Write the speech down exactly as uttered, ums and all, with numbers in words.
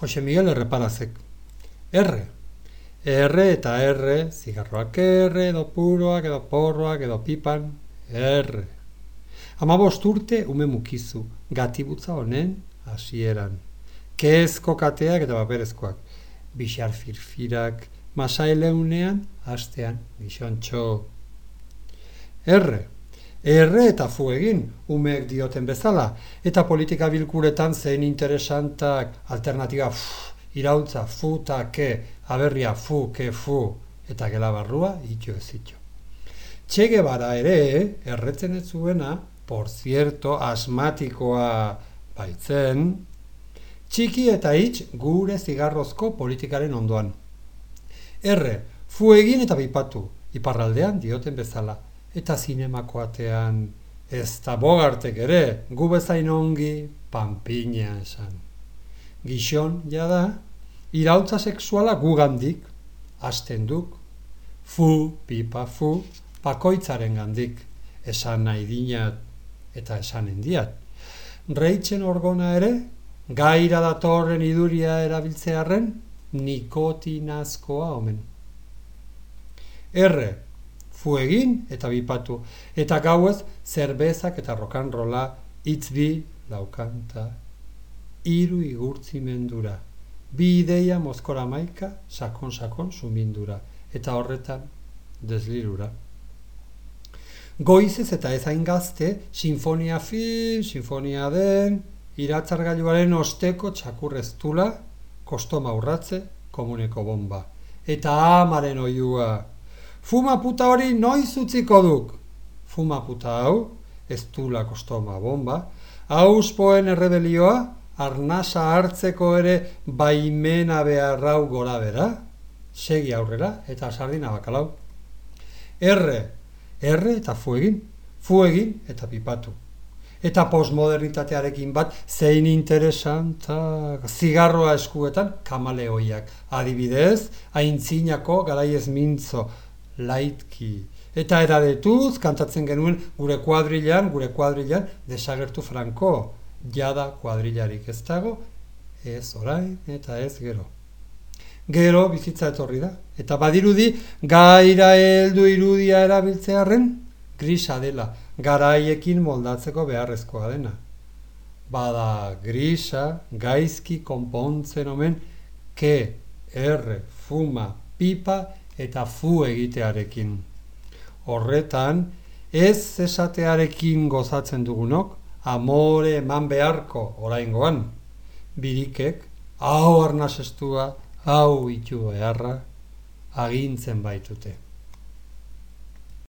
Jose Miguel Erreparazek. Erre. Erre eta erre, zigarroak erre, edo puroak, edo porroak, edo pipan, erre. Hamabost urte ume mukizu, gatibutza honen hasieran. Kezko kateak eta paperezkoak, bixar firfirak, masaileunean, hastean, bisontxo. Erre. Erre eta fu egin, umeek dioten bezala, eta politika bilkuretan zein interesantak, alternatiba fu, irautza, fu ta ke, aberria fu, ke fu, eta gela barrua, itxo ez itxo. Che Guevara ere, erretzen ez zuena, por cierto, asmatikoa baitzen, txiki eta hitz gure zigarrozko politikaren ondoan. Erre, fu egin eta bipatu, iparraldean dioten bezala, eta zinemako atean, ez da Bogartek ere, gu bezain ongi, panpina esan. Gixon, jada, irautza sexuala gugandik, hasten duk, fu, pipa, fu, pakoitzaren gandik, esan nahi dinat eta esan endiat. Reitzen orgona ere, gaira datorren iduria erabiltzearren, nikotinazkoa omen. Erre, fu egin eta bipatu, eta gauez zerbezak eta rokanrola itzbi laukanta, hiru igurtzimendura, bi ideia mozkora maika, sakon-sakon sumindura, eta horretan deslirura. Goizez eta ezain gazte, sinfonia fin, sinfonia den, iratzargailuaren osteko txakurreztula, kostoma urratze, komuneko bomba. Eta amaren oiua, fuma puta hori noiz utziko duk? Fuma puta hau, ez dula kostoma bomba, auspoen errebelioa, arnasa hartzeko ere baimena beharrau gora bera, segi aurrera eta sardina bakalau. Erre, erre eta fu egin, fu egin eta pipatu. Eta postmodernitatearekin bat zein interesantak, zigarroa eskuetan kamaleoiak, adibidez, aintzinako garaiez mintzo, laitki. Eta eradetuz kantatzen genuen gure kuadrilan, gure kuadrilan desagertu Franco. Jada kuadrilarik ez dago, ez orain eta ez gero. Gero bizitza etorri da, eta badirudi gaira heldu irudia erabiltzearren, grisa dela, garaiekin moldatzeko beharrezkoa dena. Bada grisa, gaizki konpontzen omen, ke, erre, fuma, pipa eta fu egitearekin. Horretan, ez esatearekin gozatzen dugunok, amore eman beharko oraingoan, birikek, hau arnasestua, hau itu beharra, agintzen baitute.